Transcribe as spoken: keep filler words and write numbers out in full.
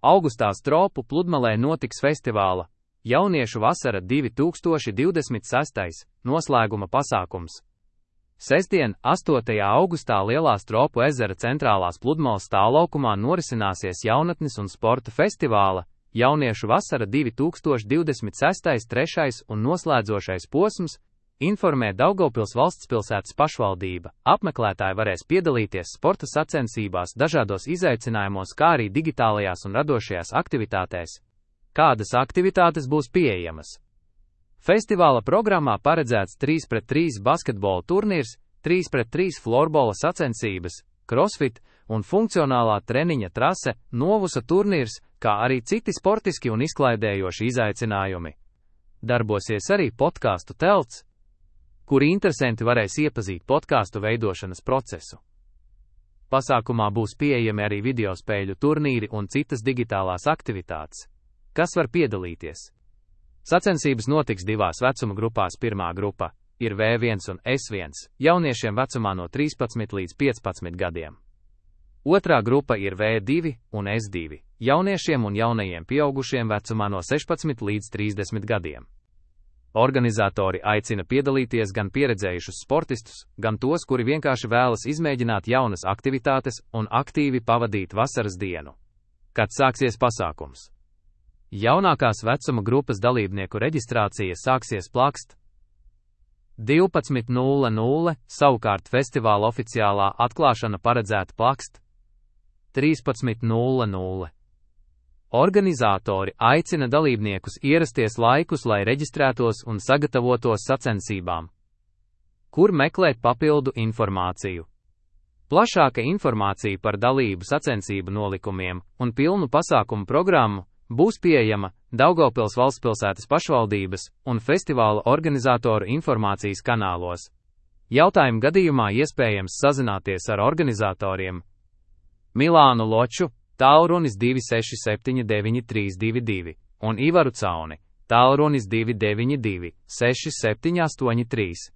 Augustā Stropu pludmalē notiks festivāla Jauniešu vasara divi tūkstoši divdesmit seši noslēguma pasākums. Sestdien, astotajā augustā Lielā Stropu ezera centrālās pludmales stāvlaukumā norisināsies jaunatnes un sporta festivāla Jauniešu vasara divi tūkstoši divdesmit seši trešais un noslēdzošais posms, informē Daugavpils valstspilsētas pašvaldība. Apmeklētāji varēs piedalīties sporta sacensībās, dažādos izaicinājumos, kā arī digitālajās un radošajās aktivitātēs. Kādas aktivitātes būs pieejamas? Festivāla programmā paredzēts trīs pret trīs basketbola turnīrs, trīs pret trīs florbola sacensības, crossfit un funkcionālā treniņa trase, novusa turnīrs, kā arī citi sportiski un izklaidējoši izaicinājumi. Darbosies arī podkāstu telts, kur interesanti varēs iepazīt podkāstu veidošanas procesu. Pasākumā būs pieejami arī videospēļu turnīri un citas digitālās aktivitātes. Kas var piedalīties? Sacensības notiks divās vecuma grupās. Pirmā grupa ir V viens un S viens, jauniešiem vecumā no trīspadsmit līdz piecpadsmit gadiem. Otrā grupa ir V divi un S divi, jauniešiem un jaunajiem pieaugušiem vecumā no sešpadsmit līdz trīsdesmit gadiem. Organizatori aicina piedalīties gan pieredzējušus sportistus, gan tos, kuri vienkārši vēlas izmēģināt jaunas aktivitātes un aktīvi pavadīt vasaras dienu. Kad sāksies pasākums? Jaunākās vecuma grupas dalībnieku reģistrācija sāksies plakst divpadsmit nulle nulle, savukārt festivāla oficiālā atklāšana paredzēta plakst trīspadsmit nulle nulle. Organizatori aicina dalībniekus ierasties laikus, lai reģistrētos un sagatavotos sacensībām. Kur meklēt papildu informāciju? Plašāka informācija par dalību sacensību nolikumiem un pilnu pasākumu programmu būs pieejama Daugavpils valstspilsētas pašvaldības un festivāla organizatoru informācijas kanālos. Jautājumu gadījumā iespējams sazināties ar organizatoriem Milānu Loču, tālrunis divi seši septiņi deviņi trīs divi divi, un Ivaru Cauni, tālrunis divi deviņi divi seši septiņi astoņi trīs.